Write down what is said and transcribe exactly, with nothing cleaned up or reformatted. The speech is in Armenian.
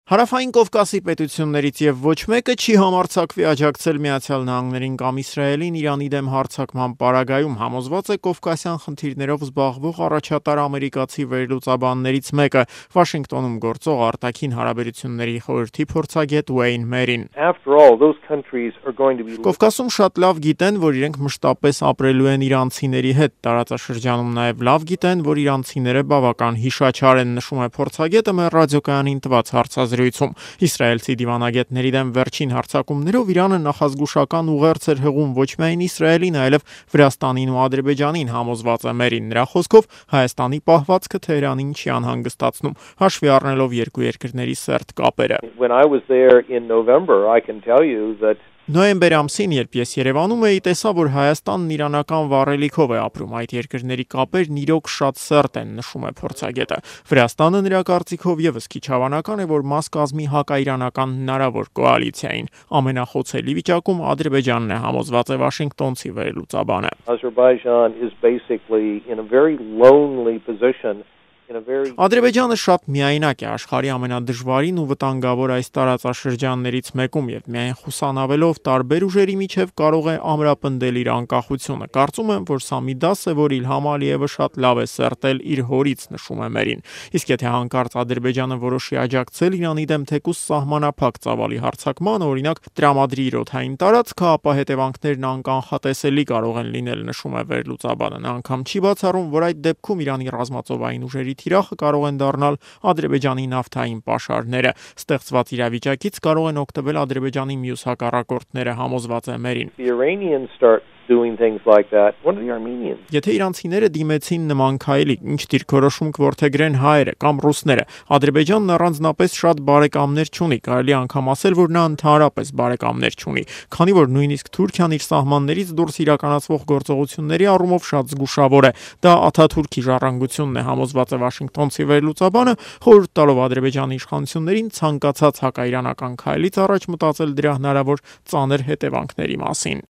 Հարավային Կովկասի պետություններից եւ ոչ մեկը չի համարձակվի աջակցել Միացյալ Նահանգներին կամ Իսրայելին Իրանի դեմ հարձակման պարագայում, համոզված է կովկասյան խնդիրներով զբաղվող առաջատար ամերիկացի վերլուծաբաններից մեկը, Վաշինգտոնում գործող արտաքին հարաբերությունների խորհրդի փորձագետ Ուեյն Մերին։ Կովկասում շատ լավ գիտեն, որ իրենք մշտապես ապրելու են իրանցիների հետ, տարածաշրջանում նաեւ լավ գիտեն, որ իրանցիները բավական հիշաչար են, նշում է փորձագետը մեր ռադիոկայանին տված հարցազրույցում։ Իսրայելցի դիվանագետների դեմ վերջին հարձակումներով Իրանը նախազգուշական ուղերձ էր հղում ոչ միայն Իսրայելին, այլև Վրաստանին ու Ադրբեջանին, համոզված է Մերին։ Նրա խոսքով Հայաստանի պահվածքը Թեհրանին չի անհանգստացնում, հաշվի առնելով երկու երկրների սերտ կապերը։ Նոյեմբեր ամսին, երբ ես Երևանում էի, տեսա, որ Հայաստանն իրանական վառելիքով է ապրում, այդ երկրների կապերն իրոք շատ սերտ են, նշում է փորձագետը։ Վրաստանը նրա կարծիքով եւս քիչ հավանական է, որ մաս կազմի հակաիրանական հնարավոր կոալիցիային։ Ամենախոցելի վիճակում Ադրբեջանն է, համոզված է վաշինգտոնցի վերլուծաբանը։ Ադրբեջանը շատ միայնակ է աշխարհի ամենադժվարին ու վտանգավոր այս տարածաշրջաններից մեկում եւ միայն խուսանավելով տարբեր ուժերի միջև կարող է ամրապնդել իր անկախությունը։ Կարծում եմ, որ սա մի դաս է, որ Իլհամ Ալիևը շատ լավ է սերտել իր հորից, նշում է Մերին։ Իսկ եթե հանկարծ Ադրբեջանը որոշի աջակցել Իրանի դեմ թեկուզ սահմանափակ ծավալի հարձակմանը, օրինակ տրամադրի իր օդային տարածքը, ապա հետևանքներն անկանխատեսելի կարող են լինել, նշում է վերլուծաբանը։ Նա անգամ չի բացառում, որ այդ դեպքում Իրանի ռազմածովային ուժերի թիրախը կարող են դառնալ Ադրբեջանի նավթային պաշարները։ Ստեղծված իրավիճակից կարող են օգտվել Ադրբեջանի մյուս հակառակորդները, համոզված է Մերին։ Եթե իրանցիները դիմեցին նման քայլի, ինչ դիրքորոշում կորդեգրեն հայերը կամ ռուսները, Ադրբեջանն առանձնապես շատ բարեկամներ չունի, կարելի անգամ ասել, որ նա ընդհանրապես բարեկամներ չունի, քանի որ նույնիսկ Թուրքիան իր սահմաններից դուրս իրականացվող գործողությունների առումով շատ զգուշավոր է։ Դա Աթաթուրքի ժառանգությունն է, համոզված է վաշինգտոնցի վերլուծաբանը, խորհուրդ տալով Ադրբեջանի իշխանություններին ցանկացած հակաիրանական քայլից առաջ մտածել դրա հնարավոր ծանր հետևանքների մասին։